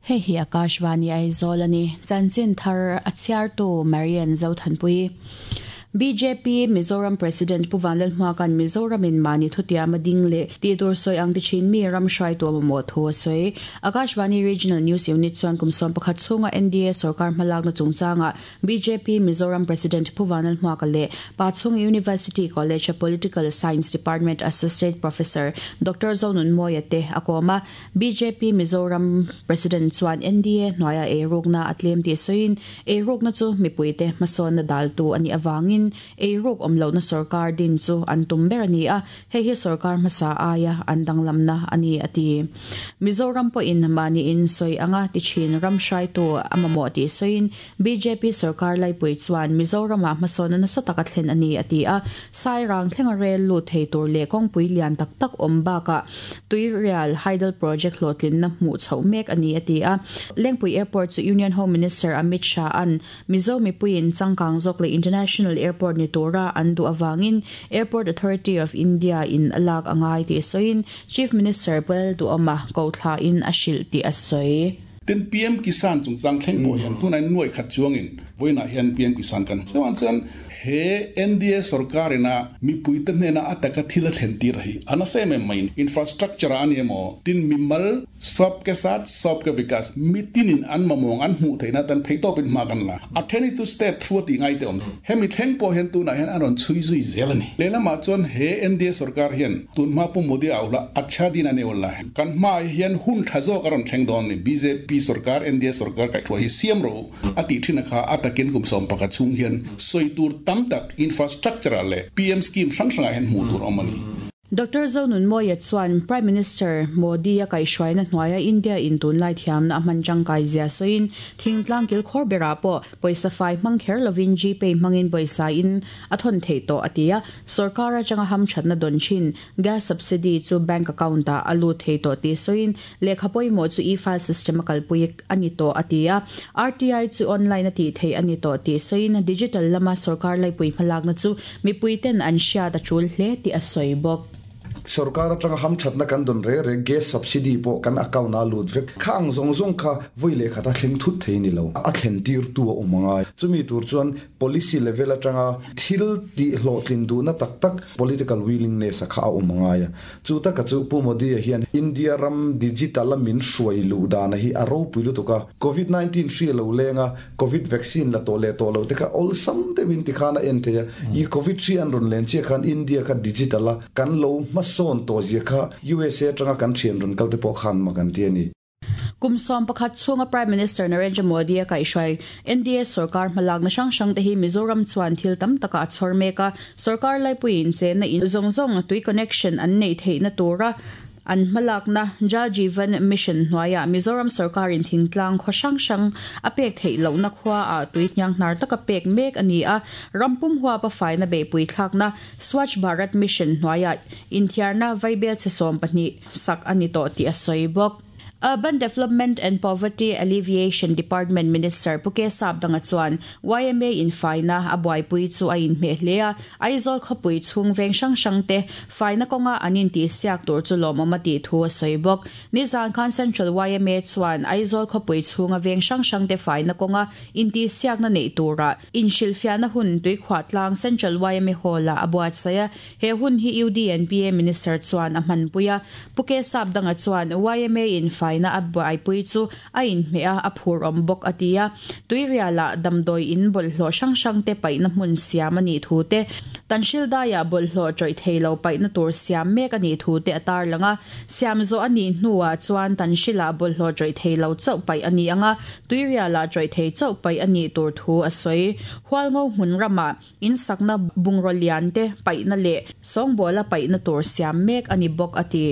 Hei hi Akashvani Aizawl a ni. Chanchin thar a chhiartu Marian Zothanpui. Bjp Mizoram President Pu Vanlalhmuaka'n Mizoramin mahni thutiam a ding leh tih tur sawi ang ti thin mi ram hruaitu a mamawh thu a sawi. Akashvani Regional News Unit chuan kum 11 chhunga NDA sorkar hmalakna chungchangah Bjp Mizoram President Pu Vanlalhmuaka leh Pachhunga University College-a Political Science Department Associate Professor Doctor Zonunmawia te a kawm a. Bjp Mizoram President chuan NDA hnuaia eirukna a tlem tih sawiin, eirukna chu mipuite hmasawnna daltu a nih avangin eiruk awm lohna sorkar din chu an tum ber a ni a, hei hi sorkar hmasa aia an danglamna a ni, a ti. Mizoram pawhin mahniin sawi anga ti thin ram hruaitu a mamawh tih sawiin, Bjp sorkar laipui chuan Mizoramah hmasawnna nasa taka thlen a ni, a ti a. Sairang thlenga rel lut thei tur leh kawngpui lian tak tak awm bakah Tuirial Hydel Project hlawhtlinna hmuh chhoh mek a ni, a ti a. Lengpui Airport chu Union Home Minister Amit Shah-a'n Mizo mipuiin changkang zawk leh International Airport ni tura an duh avangin Airport Authority of India-in a lak a ngai tih sawiin Chief Minister Pu Lalduhawma kohthlain a hrilh tih a sawi. Tin, PM Kisan chungchang thleng pawh hian tunah nuai khat chuangin vawiinah hian PM Kisan kan hmu. Chuvang chuan he NDA sorkarina mipuite hnena a taka thil a thlen tir hi a nasa em em mai. Infrastructure ah a ni emaw, tin mimal sab ke saath sab ke vikas, mitinin an mamawng an hmuh theihna atan theihtawpin hma kan la. A then hi chu state thu a tih ngai te awm. Hemi thleng pawh hian tunah hian a rawn chhui zui zel a ni. Lehlamah chuan he NDA sorkar hian Tunhma Pu Modi a auhla Achha Din a neu la. Kan hmaah hian hun tha zawk a rawn thleng dawn ni. Bjp sorkar, NDA sorkar kaihhruai hi siam rawh u a tih thin a kha a takin kum 11 chhung hian sawi tur tam tak infrastructure ah leh PM scheme hrang hrangah hian hmuh tur a awm a ni. Doctor Zonunmawia chuan Prime Minister Modi a kaihhruaina hnuaia India in tunlai thiamna a hman tangkai zia sawiin thingtlang kilkhawr berah pawh Pawisa fai hmang kher lovin Gpay hmangin pawisa in a thawn theih tawh, a ti a. Sorkar atanga hamthatna dawn thin gas subsidy chu bank account ah a lut thei tawh tih sawiin lehkha pawimawh chu e-file system a kalpui a ni tawh, a ti a. RTI chu online a tih theih a ni tawh tih sawiin digital lama sorkar laipui hmalakna chu mipui ten an hriat a tul hle tih a sawi bawk. Sorkar atanga hamthatna kan dawn reng reng gas subsidy pawh kan account ah a lut vek. Kha ang zawng zawng kha vawi leh khat a thleng thut thei ni lo. A thlen tirtu a awm angai. Chumi tur chuan policy level atanga thil tih hlawhtlin duhna tak tak political willingness a kha a awm angai a. Chu taka chu Pu Modi-a hian India ram digital a min hruai luh dana hi a ropui lutuk a. Covid 19 hri a lo leng a, Covid vaccine la tawh leh tawh lo te kha awlsam deuhin tikhan a en thei a, i Covid hri an rawn len chiah khan India kha digital a kan lo hmasawn tawh zia kha USA atanga kan thian rawn kal te pawh khan mak an ti a ni. Kum 11 chhunga Prime Minister Narendra Modi a kaihhruai NDA sorkar hmalakna hrang hrang te hi Mizoram chuan thil tam takah a chhawr mek a, sorkar laipuiin chenna in zawng zawng tui connection an neih theihna tura An hmalakna Jal Jeevan Mission hnuaiah Mizoram sorkarin thingtlang khaw hrang hrang a pek theih lohna khuaah tui hnianghnar taka pek mek a ni a, ram pum huapa faina beihpui thlakna Swachh Bharat Mission hnuaiah inthiarna vaibel chhe 12 sak a ni tawh tih a sawi bawk. Urban Development and Poverty Alleviation Department Minister Pu K Sapdanga chuan yma in faina a buaipui chu a inhmeh hle a, Aizawl khawpui chhung veng hrang hrang te faina kawnga an intihsiak tur chu lawmawm a tih thu a sawi bawk. Nizan khan Central yma chuan Aizawl khawpui chhunga veng hrang hrang te faina kawnga intihsiakna neih turah inhrilhfiahna hun Tuikhuahtlang Central yma Hall-ah a buatsaih a, He hun hi UDNPA Minister chuan a hmanpui a, Pu K Sapdanga chuan yma in faina a buaipui chu a inhmeh a, a phur awm bawk a ti a. Tuirialah damdawi in bawlhhlawh hrang hrang te paihna hmun siam a nih thu te, Tanhrildaiah bawlhhlawh tawih thei lo paihna tur siam mek a nih thu te a tarlang a. Siam zawh a nih hnuah chuan Tanhrilah bawlhhlawh tawih thei lo chauh paih a ni ang a, Tuirialah tawih thei chauh paih a nih tur thu a sawi. Hualngo hmun ramah In sakna bungraw lian te paihna leh sawngbawla paihna tur siam mek a ni bawk a ti.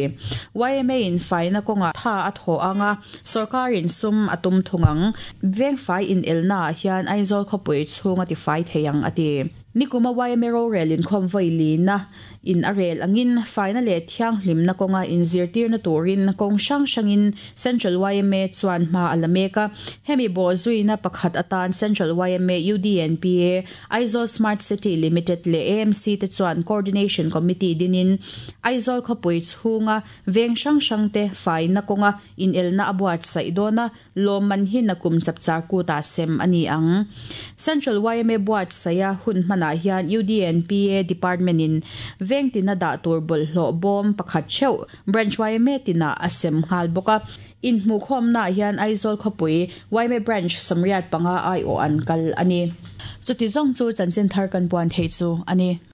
Yma in faina kawngah tha a thawh ang a, sorkarin sum a tum thung ang. Vengfai inelna ah hian Aizawl khawpui chhung a tifai thei ang a ti. Nikuma yma rorel inkhawm vawi lina. in a rel angin faina leh thianghlimna kawnga inzirtirna turin kawng hrang hrangin Central yma chuan hma a la mek a. Hemi bawhzuina pakhat atan Central yma, UDNPA, Aizawl Smart City Limited leh AMC te chuan Coordination Committee dinin Aizawl khawpui chhunga veng hrang hrangte faina kawnga inelna a buatsaih dawn a, lawmman hi nakum chapchar kutah sem a ni ang. Central yma buatsaih a hun hmanah hian UDNPA Department in veng tina dah tur bawlhhlawh bawm pakhat theuh Branch yma tinah a sem nghal bawk a. Inhmuhkhawmnaah hian Aizawl khawpui yma Branch 85 aiawh an kal a ni. Chuti zawng chu chanchin thar kan puan theih chu a ni.